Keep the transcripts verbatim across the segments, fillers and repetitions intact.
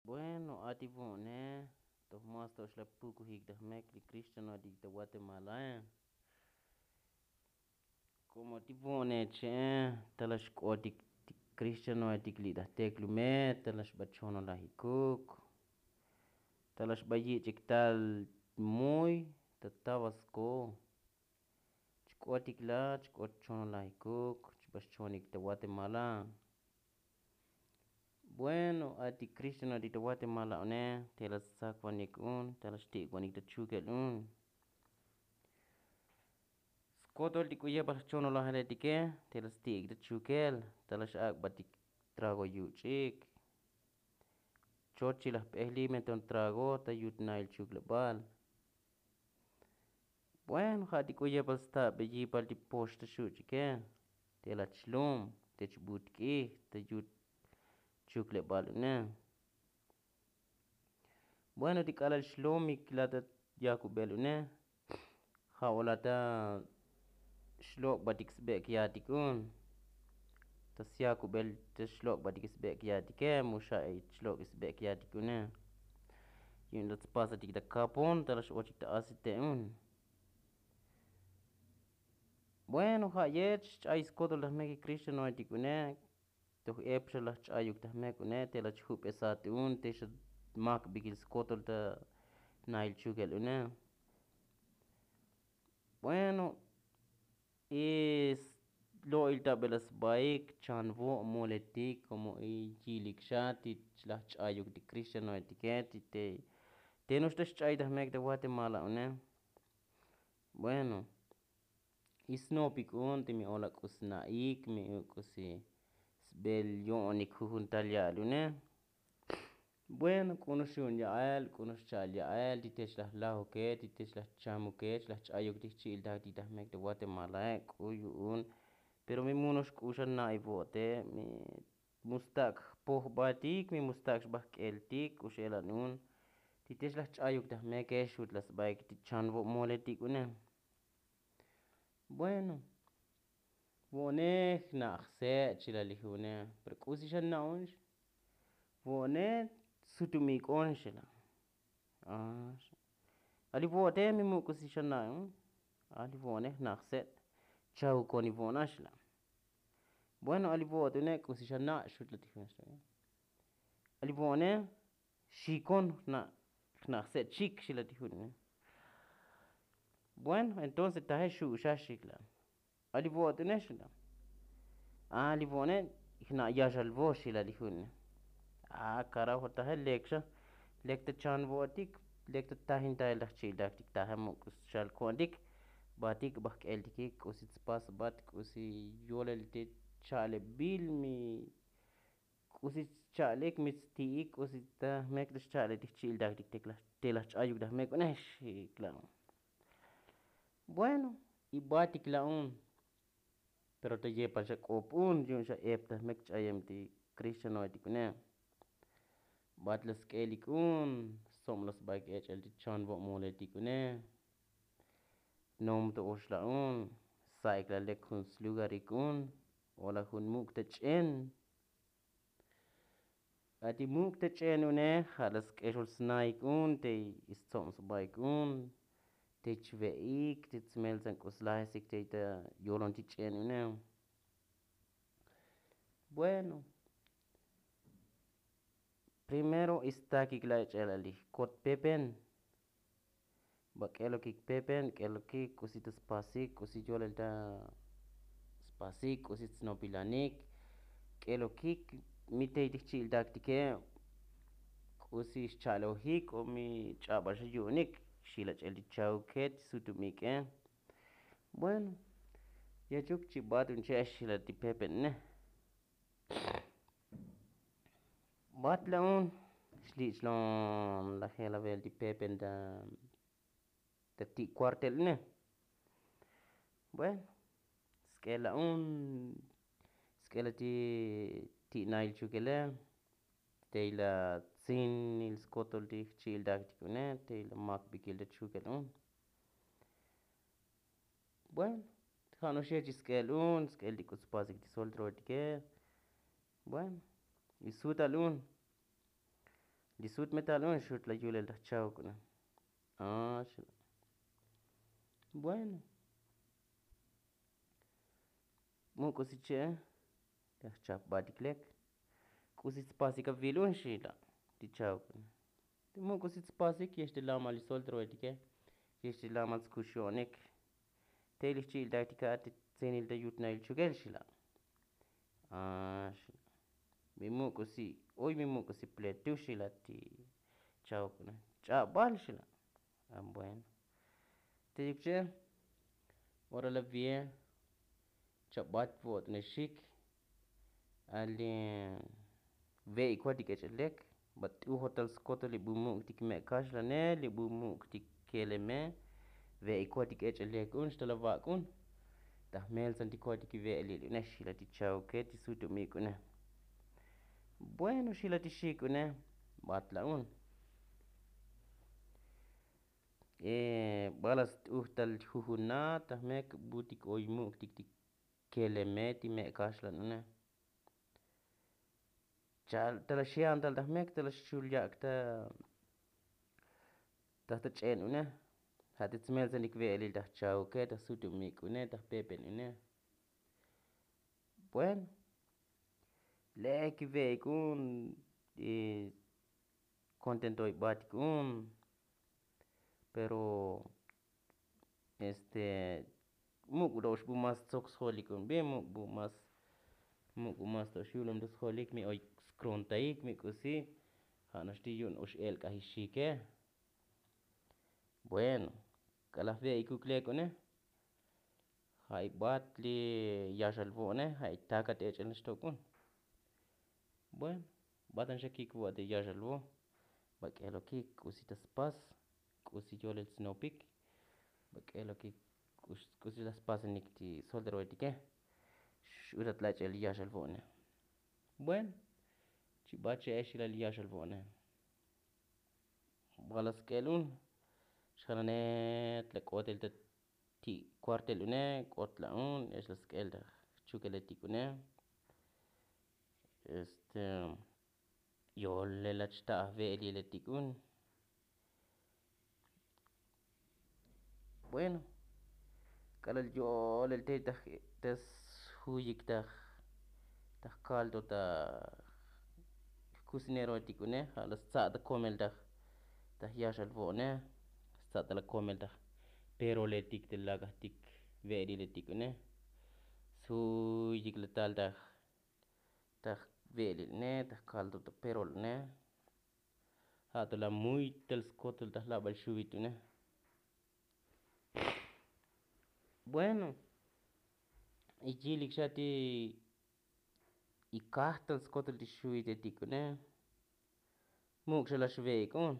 Bueno, a ti vo'ne toj mas to xla pukujik ta jmek li krixtianoetik ta guatemalae. Komo ti vo'ne che'e, ta la xk'otik ti krixtianoetik li' ta jteklume, ta la xba chonolajikuk, ta la xba yich'ik tal muy ta tabasko. Chk'otik la chk'ot chonolajikuk chba xchonik ta guatemala. Bueno, a ti krixtianoetik ta guatemala une, te la stsakvanik un, ta la xti'ikvanik ta chukel un. Skotol ti k'u yepal jchonolajeletike, te la sti'ik ta chukel, ta la xak'batik trago yuch'ik. Choch chi la jp'ejli me ton trago ta yut nail chuklebal. Bueno, ja' ti k'u yepal stabeyipal ti pox ta xuch'ike, te la chlum, te chbutk'ij ta yut chuklebal une. Bueno, ti k'alal xlomik la ta yakubel une, ja' o la ta xlok'batik sbek' yatik un. Ta syakubel ta xlok'batik sbek' yatike, mu xa' xlok' sbek' yatik une. Yu'un la tspasatik ta kapon ta la x'ochik ta asite un. Bueno, ja' yech xch'ay skotol ta jmek krixtianoetik une. Toj ep xa la jch'ayuk ta jmek une, te la chjubesat un, te xa makbikil skotol ta nail chukel une. Bueno, y lo'il ta bel la sbaik chanvo' moletik, komo y yilik xa ti la jch'ayuk ti krixtianoetike, ti te, te no'ox ta xch'ay ta jmek ta guatemala une. Bueno, y snopik un ti mi o la k'u sna'ik, mi u k'u si sbel yo'onik jujun tal ya'al une. Bueno, k'u no'ox yu'un ya'el, k'u no'ox cha'al ya'el, ti te xla jlajuke, ti te xla jchamuke, xla jch'ayuk ti jchi'iltak ti ta jmek ta guatemalae, k'u yu'un. Pero mi mu no'ox k'u xa na'i vo'ote, mi mu stak' jpojbatik, mi mu stak' xba jk'eltik k'u x'elan un. Ti te xla jch'ayuk ta jmeke xut la sbaik ti chanvo' moletik une. Bueno, vo'one jna' jse' chila li june, pero k'usi xa na'unx. Vo'one sutumik'on xila. A, xa. A li vo'ote mi mu k'usi xa na'un. A li vo'one jna' jse', chahukoni vo'ona xila. Bueno, a li vo'ot une k'usi xa na' xut la ti june. A li vo'one xikon jna' jse' chik xila ti june. Bueno, entonces taje xu'uxax xikla. A li vo'ot une xila. A li vo'one jna' yaxal vo xila li june. A karajo, taje lek xa, lek ta chan vo'otik, lek ta tajintail ta jchi'iltaktik, taje muk' xal ko'ontik. Batik ba jk'eltikik k'usi tspas, bat k'usi yolel te cha'lebil mi, k'usi cha'lek mi tsti'ik, k'usi ta jmek ta xcha'lek ti jchi'iltaktik te la jch'ayuk ta jmek une xikla. Bueno, y batik la'un. Pero ta yepal xa k'op un yu'un xa ep ta jmek ch'ayem ti krixtianoetik une. Bat la sk'elik un, stsob la sbaik ech'el ti chanvo' moletik une. Nom to ox la'un, sa'ik la lek jun slugarik un, o la jun muk' ta ch'en. A ti muk' ta ch'en une ja' la sk'exol snaik un te stsob sbaik un, te chve'ik, te tsmeltsan k'u slajesik te ta yolon ti ch'en une. Bueno, primero stakik la ech'el a li jkot pepen. Ba k'elokik pepen, k'elokik k'usi ta spasik, k'usi yolel ta spasik, k'usi tsnopilanik. K'elokik mi tey ti jchi'iltaktike, k'usi xcha'lojik o mi ch'abal xa yu'unik, xil ach'el ti chauke, ti sutumike. Bueno, yachuk chi bat un che' xila ti pepen ne. Bat la'un xlich'lon lajel avel ti pepen ta, ta ti' kuartel une. Bueno, sk'el la'un, sk'el la ti, ti nail chukele, tey la tsinil skotol ti jchi'iltaktik une, tey la makbikil ta chukel un. Bueno, ja' no'ox yech sk'el un, sk'el ti k'u spasik ti soltroetike. Bueno, y sutal un. Li sut metal un xut la yulel taj chawuk una. Bueno, muk'usi che' taj chapbatik lek. K'usi tspasik avil un xila' ti chawuk una. Muk'usi tspasik yex ti lamal li solteroetike, yex ti lamal tskuxo'onik. Te li xchi'iltatik a ti tsenil ta yutnail chukel xila'. Mi muk'usi oy mi muk'usi pletu xila' ti chawuk una. Ch'abal xila'. Bueno, te yuk che' ora la vie chabat vo'otnexik. Ali ve'ikotik ech'elek. Bat t'ujotal skotol li bu muk' tik me' kaxlane, li bu muk' tik keleme. Ve'ikotik ech'elek un xtal avak' un. Taj meltsan tik kotik ve'elil une xila ti chawuke ti sutumik une. Bueno xila ti xik une. Bat la' un. Bala st'ujtal jujuna taj mek butik oy muk' tik tik keleme ti me' kaxlan une. Chal tala xiantal taj mek tala xchul yak' ta taj ta ch'en une. Ja' ti tsmeltsanik ve'elil taj chawuke taj sutumik une taj pepen une. Bueno, lek ve'ik un. Kontentoy batik un. Pero este muk' bu mas tsok sjolik un bi muk' bu mas muk' bu mas to xyulum ta sjolik mi oy skrontaik mi k'usi. Ja' nax ti yu'un ox elk'ajixike. Bueno, k'alaj ve'ikuk lek une. Ja' ibat li yaxal vo'ne ja' itakat ech'el nax tok un. Bueno, batan xa kik vo'te yaxal vo'. Bak'elokik k'usi ta spas k'usi yolel snopik. Bak'elokik k'usi ta spasanik ti solteroetike. X'utat la ech'el li yaxal vo'ne. Bueno, chibat che'ex ilal li yaxal vo'ne. Bala sk'el un xjananet la k'otel ta ti' kuartel une k'ot la' un ex la sk'el ta jchukeletik une. Este yolel la chta'aj ve'eliletik un. Bueno, k'alal yolel te ta sjuyik ta jkalto ta jkusineroetik une ja' la stsa' ta komel ta jyaxal vo'ne. Stsa' ta la komel ta jperoletik ta lakajtik ve'eliletik une. Sjuyik la tal ta jve'elil une ta jkalto ta perol une. Ja' to la muytal skotol ta jlabal xuvit une. Bueno, iyilik xa ti ikajtal skotol ti xuvitetik une. Muk' xa la xve'ik un.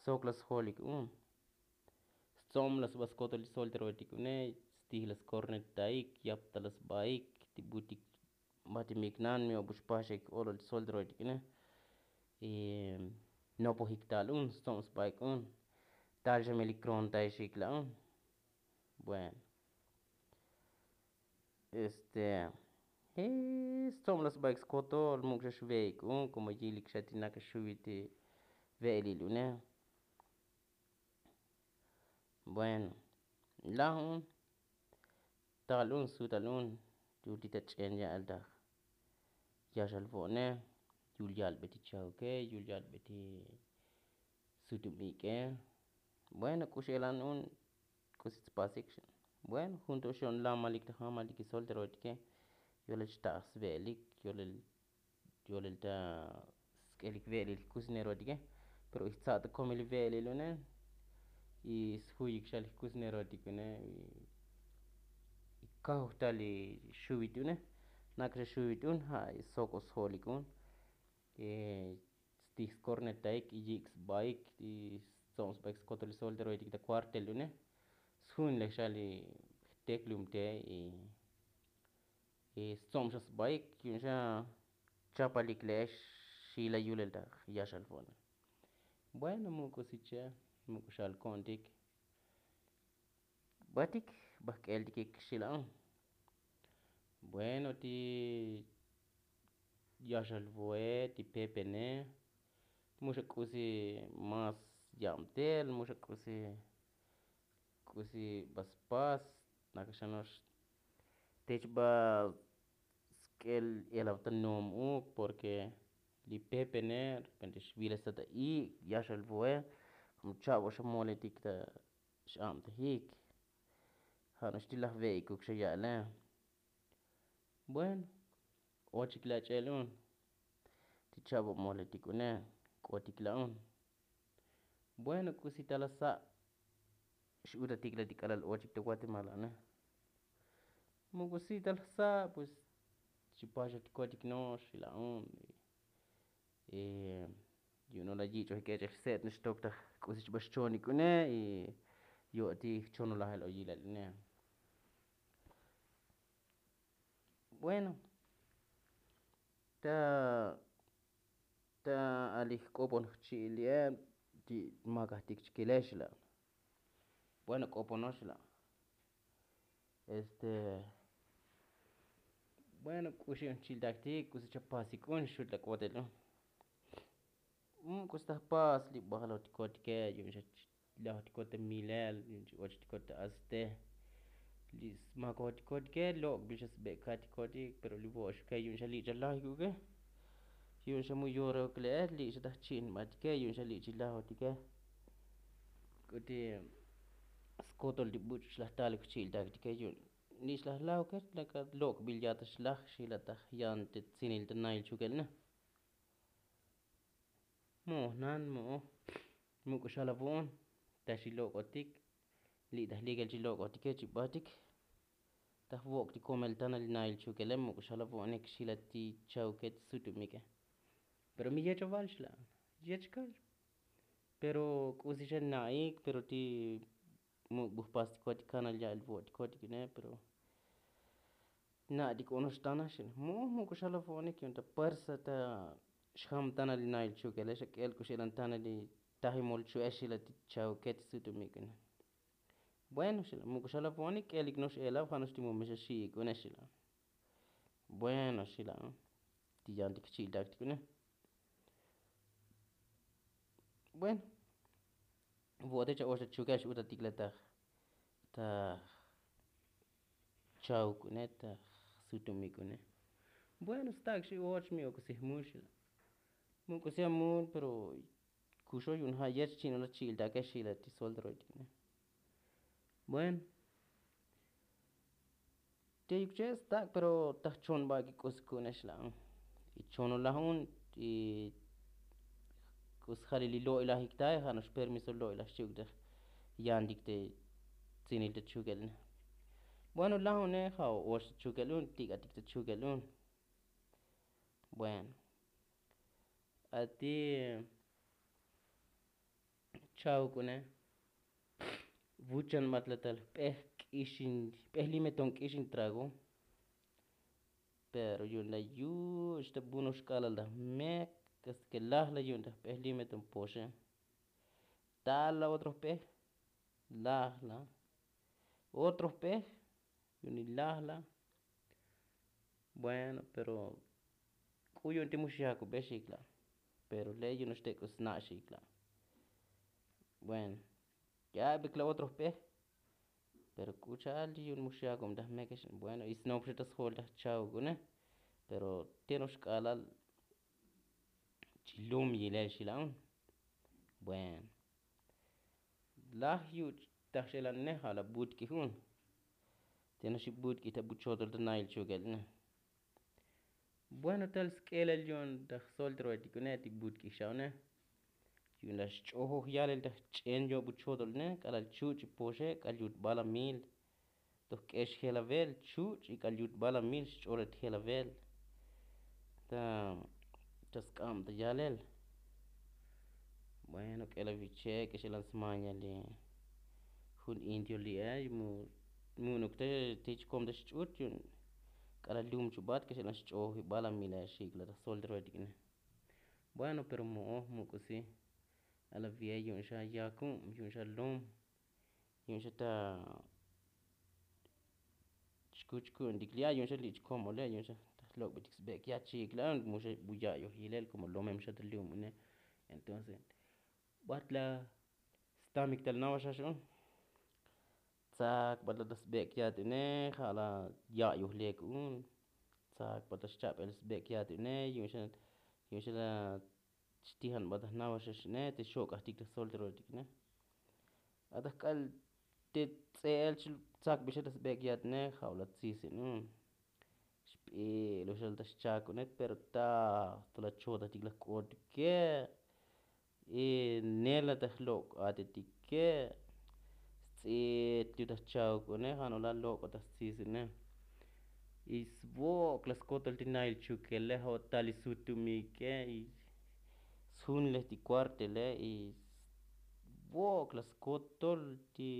Sok la sjolik un. Stzom la sba skotol ti solteroetik une. Stij la skornetaik yap ta la sbaik ti butik. Batimik nan mi obu xpaxek olol ti solteroetik une. Nopojik tal un stzom sbaik un. Tal xa mi li krontaixik la un. Bueno, este stzom la sbaik skotol muk' xa xve'ik un komo yilik xa ti naka xuvit ti ve'elil une. Bueno, laj un tal un sutal un. Yul ti ta ch'en ya'al ta jyaxal vo'ne. Yul yalbe ti chauke yul yalbe ti sutumik'e. Bueno, k'u x'elan un k'usi tspasik. Bueno, jun to xon lamalik ta jamalik solteroetike. Yolel xta'aj sve'elik yolel yolel ta sk'elik ve'elil jkusineroetike. Pero ijtsa' ta komil ve'elil une. Y sjuyik xa li jkusineroetik une. Y kajoj ta li xuvit une. Nak xa xuvit un ja' sok o sjolik un. Stij skornetaik y yik' sbaik y stzom sbaik skotol li solteroetik ta kuartel une. Sjun lej xa li jteklum te. Stzom xa sbaik yu'un xa chapalik le'ex. Xila yulel ta jyaxal vo'ne. Bueno, muk'usi che' muk'u xal ko'ontik. Batik bajk'eltikik xila un. Bueno, ti yaxal vo'e ti pepene. Mu xa k'usi más yabtel, mu xa k'usi k'usi ba spas nakaxano'ox. Tech ba sk'el elav ta no'om uk, porque li pepene repente xviles ta ta ik' ya xa lvo'e. Komo cha'bo xa moletik ta x'abtajik. Ja' no'ox ti laj ve'ik uk xa ya'le. Bueno, ochik lach'el un. Ti cha'bo moletik une, k'otik la' un. Bueno, k'usi ta la sa'. X'utatik la' ti k'alal ochik ta guatemala ne. Mu k'usi ta la sa', pues xipaxatikotik no'ox la' un. Yu'un no la yich'oj ik'e ch'ej se'et no'ox tok ta k'usi chba xchonik une. Y yo'ti jchonolajel oyilal une. Bueno, ta ta alij k'opon jchi'il li'e ti makajtik chkile xla'. Bueno, k'oponox la'. Este, bueno, k'uxi un chiltaktik k'usi chapasik un xut la k'otel un. K'usi ta jpas li bajalotikotike yu'un xa lajotikote milel yu'un chi ochotikote aste. Li smakojotikote ke lok'bil xa sbekatikotik pero li vo'oxuke yu'un xa li' chalajikuke. Yu'un xa mu yorok le'e li' xa taj chi'in batike yu'un xa li' chi lajotike. K'uti skotol ti buch' xlaj talik jchi'iltaktike yu'un li' xlaj lajuke laka lok'bil yata xlaj xila taj yan te tsinil ta nail chukel ne. Mo'oj nan mo'oj. Muk'u xalavo'on ta xilok'otik li' taj likel chilok'otike chibatik. Ta jvok' ti komel tana li nail chukele muk'u xalavo'onik xila ti chauke ti sutumike. Pero mi yech aval xila'. Yech kal. Pero k'usi xa na'ik pero ti muk' bu jpastikotik kanal ya'il vo'otikotik ine pero na'tik onox tana xila. Mu muk'u xalavo'onik yu'un ta puersa ta xjam tana li nail chukele xa k'el k'u xelan tana li tajimol chu'e xila ti chauke ti sutumik ine. Bueno xila muk'u xalavo'onik k'elik no'ox elav ja' no'ox ti mu mexa xi'ik une xila. Bueno xila ti yantik jchi'iltaktik une. Bueno, vo'ote cha' ox ta chukel x'utatik la taj taj chauk une taj sutumik une. Bueno, stak' xi och mi ok'usi jmul xila. Muk'usi amul pero kuxo yu'un ja' yech chi'in ola chi'iltake xila ti solteroetik une. Bueno, te yuk che' stak' pero taj chon ba' kik'us ku'une xla'. Y chonolaj un y k'us jalil li lo'ilajik tae ja' no'ox permiso lo'ilaj xchi'uk te yantik te tsinil ta chukel une. Bueno, laj une ja' o och ta chukel un tik'atik ta chukel un. Bueno, ati chauk une vuchan matlatal jp'ej k'ixin jp'ej limeton k'ixin trago. Pero yu'un la yuch' ta bunox k'alal ta jmek hasta ke laj la yu'un ta jp'ej limeton poxe. Tal la otro jp'ej laj la otro jp'ej yu'un li laj la. Bueno pero k'u yu'un ti mu xyakubex ikla'. Pero le' yu'un no'ox te' k'u sna' xikla'. Bueno, ya'bik la otro jp'ej. Pero k'u cha'al ti yu'un mu xyakub ta jmekex. Bueno, y snop xa ta sjol ta jchauk une. Pero te' no'ox k'alal chi lum yilel xila'un. Bueno, laj yuch' taj x'elan ne ja' la butk'ij un. Te no'ox ibutk'ij ta buchotol ta nail chukel ne. Bueno, tal sk'elel yu'un ta jsolteroetik une ti butk'ij xa une. Yu'un la xch'ojoj yalel ta jch'en yo'bu chotol ne k'alal chuch' ipoxe k'al yut bala mil. Toj k'ex jelavel chuch' ik'al yut bala mil xch'olet jelavel ta ta sk'ab ta yalel. Bueno, k'elaviche k'exelan smaña li jun indio li'e mu mu'nuk te ti chkom ta xch'ut yu'un k'alal lum chubat k'exelan xch'oj ibala mile xikla ta jsolteroetik ne. Bueno pero mo'oj muk'usi. Alavi'e yu'un xa yakub yu'un xa lom. Yu'un xa ta chkuch ku'untik li'a yu'un xa li' chkom ole yu'un xa ta jlok'betik sbek ya' chikla' mu xa bu ya'yoj yilel komo lomem xa ta lum une. Entonces bat la stamik tal nawaxax un. Tsak bat la ta sbek' yat une ja' la ya'yoj lek un. Tsak bat la xcha'bel sbek' yat une yu'un xa la xtijan bat ta nawaxax une te xok'ajtik ta solteroetik une. Ataj k'al te ts'e'el tsak bixel ta sbek' yat une ja' la tsisin un. Xp'il uxal ta xchak une pero ta to la chotajtik la jk'otike. Y nela ta jlok' atetike. Sts'it yu ta jchak une ja' no la lok' ta stsisine. Y svok' la skotol ti nail chukele ja' tal li sutumike y sjunlej ti kuartele y svok' la skotol ti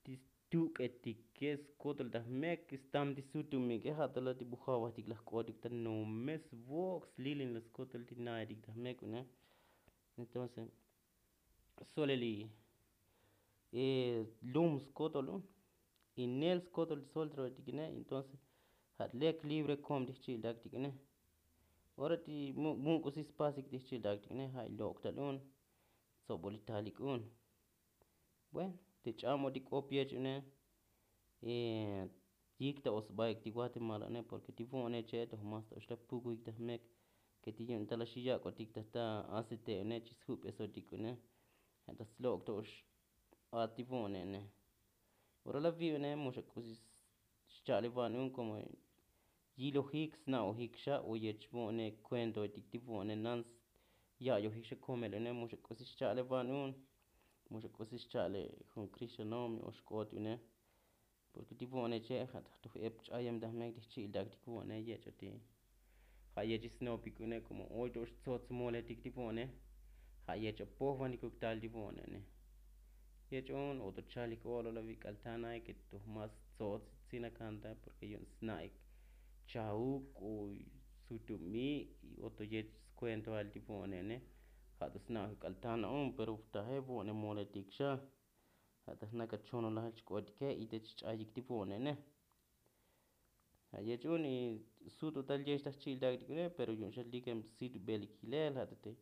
ti stuk'etike skotol ta jmek stam ti sutumike ja' to la ti bujavajtik la jk'otik ta nome svok' slilin la skotol ti naetik ta jmek une. Entonces solel li lum skotol un y nel skotol ti soltroetik une entonces ja' lek libre kom ti jchi'ltaktik une. Ora ti muk' k'usi spasik ti jchi'ltaktik une ja' ilok' tal un tsobol li talik un. Bueno te ch'amotik k'op yech une yik ta o sbaik ti guatemala une porke ti vo'one che' to mas ta oxla pukuik ta jmek ke ti yu'un ta la xiyak'otik ta ta asete' une chi sjup'esotik une. Ja' ta slok' to ox a ti vo'one une. Ora la vi' une muxa k'usi xcha'le van un komo yilojik sna'ojik xa o yech vo'one kuentoetik ti vo'one nan ya'yojik xa komel une muxa k'usi xcha'le van un. Muxa k'usi xcha'le jun kristianomi o xk'ot une. Porke ti vo'one che' ja' ta jtuj ep ch'ayem ta jmek ti jchi'iltaktik vo'one yech o ti ja' yech isnopik une komo oy to ox tsots moletik ti vo'one. Ja' yech apojvanikuk tal ti vo'one une. Yech un o to chalik olo la vik'al tanaik ke to mas tsots tsinakantaik porke yu'un sna'ik chauk o sutumi' o to yech skuentoal ti vo'one une. Ja' to sna'ik k'al tana un pero taje vo'one moletik xa. Ja' ta jnak achonolajel chk'otike y te chch'ayik ti vo'one une. Ja' yech un y sut o tal yech ta jchi'iltaktik une pero yu'un xa likem situbel ikilel ja' ta te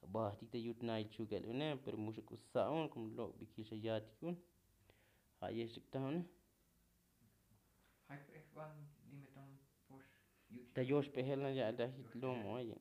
abajtik ta yut nail chukel une pero muxa k'u sa' un komo lok'bikil xa yatik un. Ja' yech ta ktaj une. Ta yoxp'ejel na ya'el ta jit lom oye.